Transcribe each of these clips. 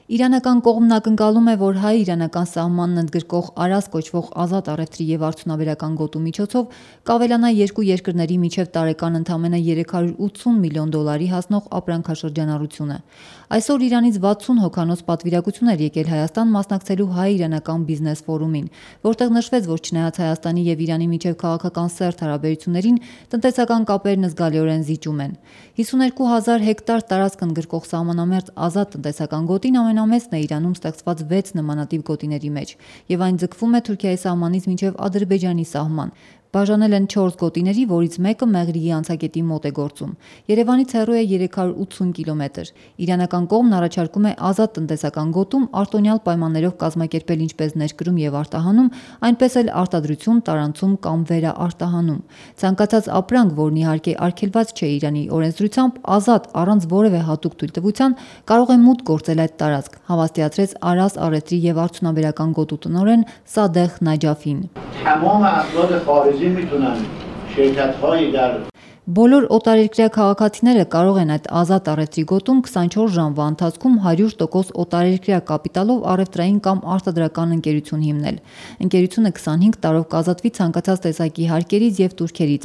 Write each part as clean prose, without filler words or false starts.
Իրանական կողմն ակնկալում է, որ հայ-իրանական սահմանն ընդգրկող Արաս կոչվող ազատ առևտրի և արդյունաբերական գոտու միջոցով կավելանա երկու երկրների միջև տարեկան ընդամենը $380 միլիոն հասնող ապրանքաշրջանառությունը։ Այսօր Իրանից 60 հոգանոց պատվիրակություն էր եկել Հայաստան մասնակցելու հայ-իրանական բիզնես ֆորումին, որտեղ նշվեց, որ չնայած Հայաստանի և Իրանի միջև քաղաքական սերտ հարաբերություններին, տնտեսական կապերն զգալիորեն զիջում են։ 52,000 հեկտար տարածք ընդգրկող սահմանամերձ ազատ տնտեսական գոտին ամենամեծն է Իրանում ստեղծված 6 նմանատիպ գոտիների մեջ, և այն ձգվում է Թուրքիայի սահմանից մինչև Ադրբեջանի սահման։ Բաժանել են 4 գոտիների, որից մեկը Մեղրիի անցակետի մոտ է գործում։ Երևանից հեռու է 380 կիլոմետր։ Իրանական կողմն առաջարկում է ազատ տնտեսական գոտում արտոնյալ պայմաններով կազմակերպել ինչպես ներկրում և արտահանում, այնպես էլ արտադրություն, տարանցում կամ վերաարտահանում։ Ցանկացած ապրանք, որն իհարկե արգելված չէ Իրանի օրենսդրությամբ, ազատ, առանց որևէ հատուկ թույլտվության, կարող է մուտք գործել այդ տարածք, հավաստիացրեց Արաս առևտրի և արդյունաբերական գոտու տնօրեն Սադեղ Նաջաֆին։ Բոլոր օտարերկրյա քաղաքացիները կարող են այդ ազատ առևտրի գոտում 24 ժամվա ընթացքում 100% օտարերկրյա կապիտալով առևտրային կամ արտադրական ընկերություն հիմնել։ Ընկերությունը 25 տարով կազատվի ցանկացած տեսակի հարկերից և տուրքերից։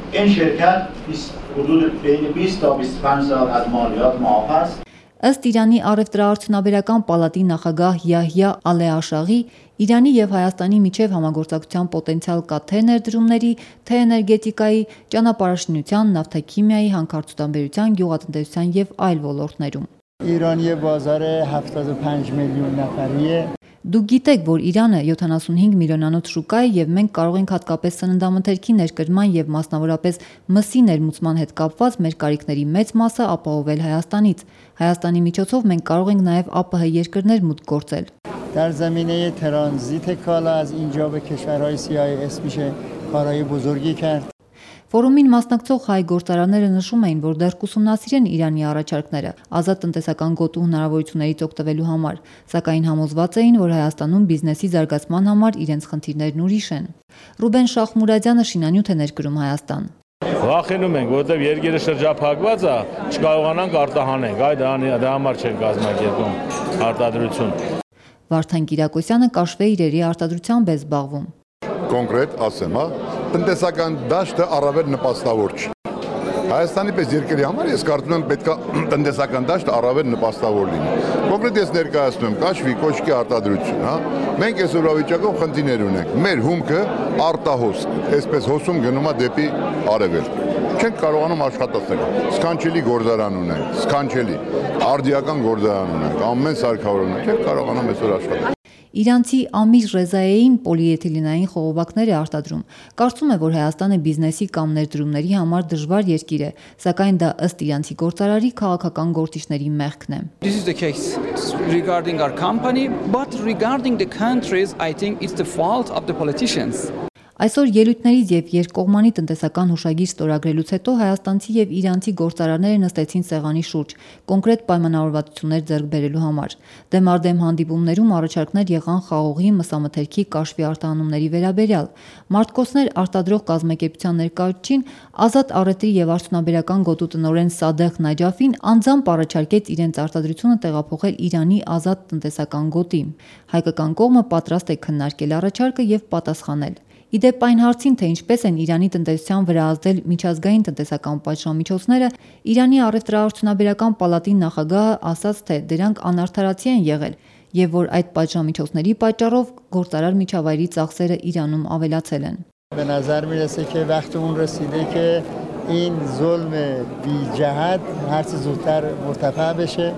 Ըստ Իրանի առևտրաարդյունաբերական պալատի նախագահ Յահյա Ալեաշաղի, Իրանի և Հայաստանի միջև համագործակցության պոտենցիալ կա թե ներդրումների, թե էներգետիկայի, ճանապարհաշինության, նավթաքիմիայի, հանքարդյունաբերության, գյուղատնտեսության և այլ ոլորտներում։ Իրանի բազարը 75 միլիոն նավարի է։ Դուք գիտեք, որ Իրանը 75 միլիոնանոց շուկա է և մենք կարող ենք հատկապես սննդամթերքի ներկրման և մասնավորապես մսի ներմուծման հետ կապված մեր կարիքների մեծ մասը ապահովել Հայաստանից։ Հայաստանի միջոցով մենք կարող ենք նաև ԱՊՀ երկրներ մուտք գործել։ در زمینه ترانزیت کالا از اینجا به کشورهای CIS میشه کارهای بزرگی کرد. Ֆորումին մասնակցող հայ գործարանները նշում էին, որ դեռ կուսումնասիրեն Իրանի առաջարկները ազատ տնտեսական գոտու հնարավորություններից օգտվելու համար, սակայն համոզված էին, որ Հայաստանում բիզնեսի զարգացման համար իրենց խնդիրներն ուրիշ են։ Ռուբեն Շախմուրադյանը շինանյութ է ներկրում Հայաստան։ Վախենում ենք, որովհետև երկիրը շրջափակված է, չկարողանանք արտահանենք, դրա համար չեն կազմակերպում արտադրություն։ Վարդան Կիրակոսյանը կաշվե իրերի արտադրությամբ է զբաղվում։ Կոնկրետ ասեմ, տնտեսական դաշտը առավել նպաստավոր չի։ Հայաստանի պես երկրի համար ես կարծում եմ պետք է տնտեսական դաշտը առավել նպաստավոր լինի։ Կոնկրետ ես ներկայացնում եմ կաշվի կոշկի արտադրություն, Մենք այսօրվա վիճակով խնդիրներ ունենք։ Մեր հումքը արտահոսք, այսպես հոսում գնում է դեպի արևելք։ Չենք կարողանում աշխատել։ Սքանչելի գործարան ունենք, սքանչելի, արդիական գործարան ունենք, ամեն սարքավոր ունենք, չենք կարողանում այսօր աշխատել։ Իրանցի Ամիր Ռեզայեին պոլիէթիլենային խողովակներ է արտադրում։ Կարծում է, որ Հայաստանը բիզնեսի կամ ներդրումների համար դժվար երկիր է, սակայն դա ըստ իրանցի գործարարի քաղաքական գործիչների մեղքն է։ This is the case regarding our company, but regarding the countries, I think it's the fault of the politicians. Այսօր ելույթներից և երկկողմանի տնտեսական հուշագիր ստորագրելուց հետո հայաստանցի և իրանցի գործարարները նստեցին սեղանի շուրջ, կոնկրետ պայմանավորվածություններ ձեռք բերելու համար։ Դեմարդեմ հանդիպումներում առաջարկներ եղան խաղողի, մսամթերքի, կաշվի արտահանումների վերաբերյալ։ Մարտկոցներ արտադրող կազմակերպության ներկայացուցիչին ազատ առևտրի և արդյունաբերական գոտու տնօրեն Սադեղ Նաջաֆին անձամբ առաջարկեց իրենց արտադրությունը տեղափոխել Իրանի ազատ տնտեսական գոտի։ Հայկական կողմը պատրաստ է քննարկել առաջարկը և պատասխանել։ Իդեպ այն հարցին, թե ինչպես են Իրանի տնտեսության վրա ազդել միջազգային տնտեսական պատժամիջոցները, Իրանի առևտրաարդյունաբերական պալատի նախագահը ասաց, թե դրանք անարդարացի են եղել և որ այդ պատժամիջոցների պատճառով գործարար միջավայրի ծախսերը Իրանում ավելացել են։ به نظر میرسه که وقت اون رسیده که این ظلم بی جهت هر چه زودتر مرتفع بشه.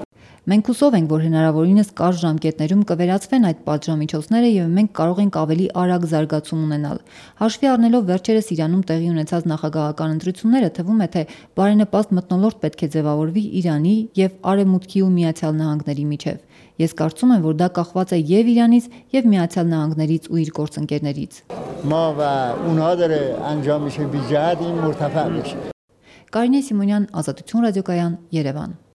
Մենք հուսով ենք, որ հնարավորինս կարճ ժամկետներում կվերացվեն այդ պատժամիջոցները և մենք կարող ենք ավելի արագ զարգացում ունենալ։ Հաշվի առնելով վերջերս Իրանում տեղի ունեցած նախագահական ընտրությունները, թվում է, թե բարենպաստ մթնոլորտ պետք է ձևավորվի Իրանի և Արևմուտքի ու Միացյալ Նահանգների միջև։ Ես կարծում եմ, որ դա կախված է և Իրանից, և Միացյալ Նահանգներից ու իր գործընկերներից։ ما و اونها داره انجام میشه بی جهت این مرتفع میشه. Կարինե Սիմոնյան, Ազատություն ռադիոկայան, Երևան։